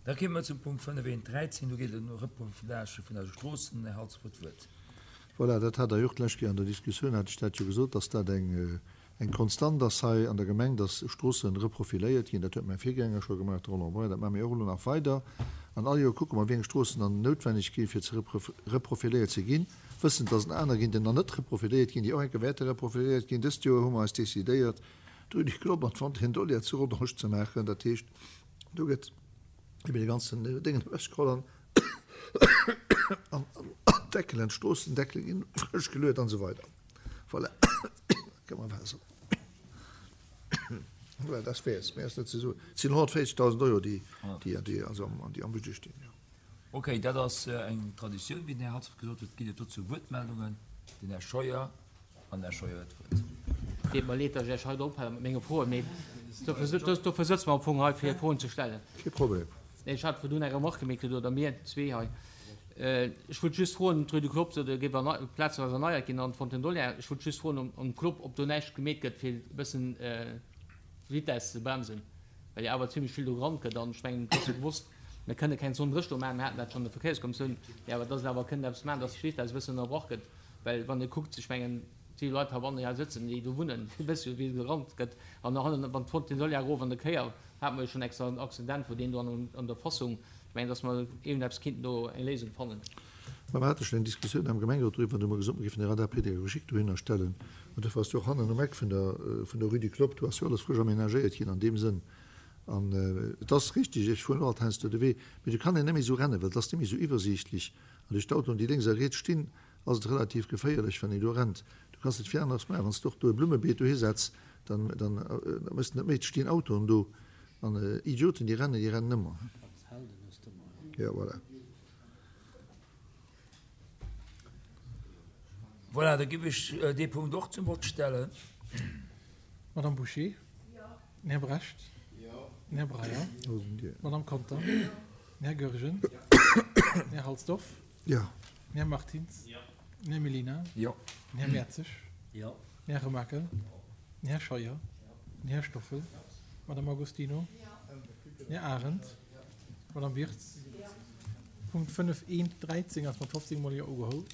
Da kéime mer zum Punkt 5.1.13. Do geet et ëm Reprofilage vun eise Stroossen. Den Här Halsdorf huet d'Wuert. Voilà, dat hat Der jo och d'lescht Kéier an der Diskussioun, hat ech dat jo gesot, dass dat eng, eng Konstant ass hei an der Gemeng, dass Stroosse reprofiléiert ginn. Dat huet mäi Virgänger scho gemaach, de Roland Breyer. Dat maache mir och elo nach weider. An all Joer kucke mer, wéi eng Stroossen dann noutwenneg ginn, fir ze reprofiléiert ze ginn, wëssend, dass et aner ginn, déi nach net reprofiléiert ginn, déi och eng Kéier wäerte reprofiléiert ginn. Dëst Joer hu mer eis decidéiert, d'Rue du Globe an d'Fontaine d'Olière zu Rodange ze maachen. Dat heescht, do gëtt eben de ganzen Déngen ewechgeholl an d'Deckelen, d'Stroossendeckele ginn frësch geluet an esou weider. Voilà, gëtt mer Waasser. Voilà, dat wär es. Méi ass net ze soen. Et sinn 140.000 Euro, déi, déi, déi, also am, déi am Budget stinn, jo. Okay, dat ass eng Traditioun, wéi den Här Hatzfeld gesot huet. Ginn et dozou Wuertmeldungen? Den Här Scheuer. An Här Scheuer huet d'Wuert. Deet mer leed, datt ech Iech hei ophale mat menge Froen, mee dofir sëtze mer am Fong hei, fir Froen ze stellen. Kee Problem. Nee, ech hat virdrun eng Remarque gemeet kritt, oder mir zwee hei. Ech wollt just froen, d'Rue du Clopp, do géif plazeweis erneiert ginn an d'Fontaine d'Olière. Ech wollt just froen um Clopp, ob do näischt gemeet gëtt, fir e bëssen d'Vitesse ze bremsen, well jo awer zimlech vill do gerannt gëtt. An ech mengen, et ass jo gewosst, mir kënne keng Zone 30 do maachen, mir haten dat schonn an der Verkéierskommissioun, mee awer dass een awer kënnt eppes maachen, dass d'Vitesse e bëssen ënnerbrach gëtt. Well wann ee kuckt, ech mengen, déi Leit heibannen, déi hei sëtzen, déi do wunnen, déi wësse jo, wéi gerannt gëtt. An hannen, wann d'Fontaine d'Olière erof an der Kéier, hate mer jo schonn extra en Accident, wou deen do an der Fassung, ech mengen, datt mer iergendeppes kinnten do eng Léisung fannen. Mä mer hate schonn eng Diskussioun am Gemengerot doriwwer, an du hu mer gesot, mer géifen e Radar pédagogique dohinner stellen. An dofir ass jo och hannen um Eck vun der, vun der Rue du Clopp, do ass jo alles frësch aménagéiert ginn an deem Sënn. An et ass richtig, ech fueren och alt heiansdo de Wee, mee do kann een net méi esou rennen, well et ass net méi esou iwwersiichtlech. An duerch d'Autoen, déi lénks a riets stinn, ass et relativ geféierlech, wann een do rennt. Du kanns net vill aneres maachen. Wann s de och do e Blummebeet dohi setz, dann, dann méchs de net méi. Et stinn Autoen do. An Idioten, déi rennen, déi rennen ëmmer. Jo, voilà. Voilà, da giff ech dee Punkt och zum Vott stellen. Madame Bouché? Den Här Brecht? Den Här Breyer? D'Madame Conter? Den Här Goergen? Den Här Halsdorf? Den Här Martins? Den Här Mellina? Den Här Mertzig? Den Här Remakel? Den Här Scheuer? Den Här Stoffel? D'Madame Agostino? Den Här Arendt? D'Madame Wirtz? Punkt 5 1 13 ass mat 15 mol Jo ugeholl.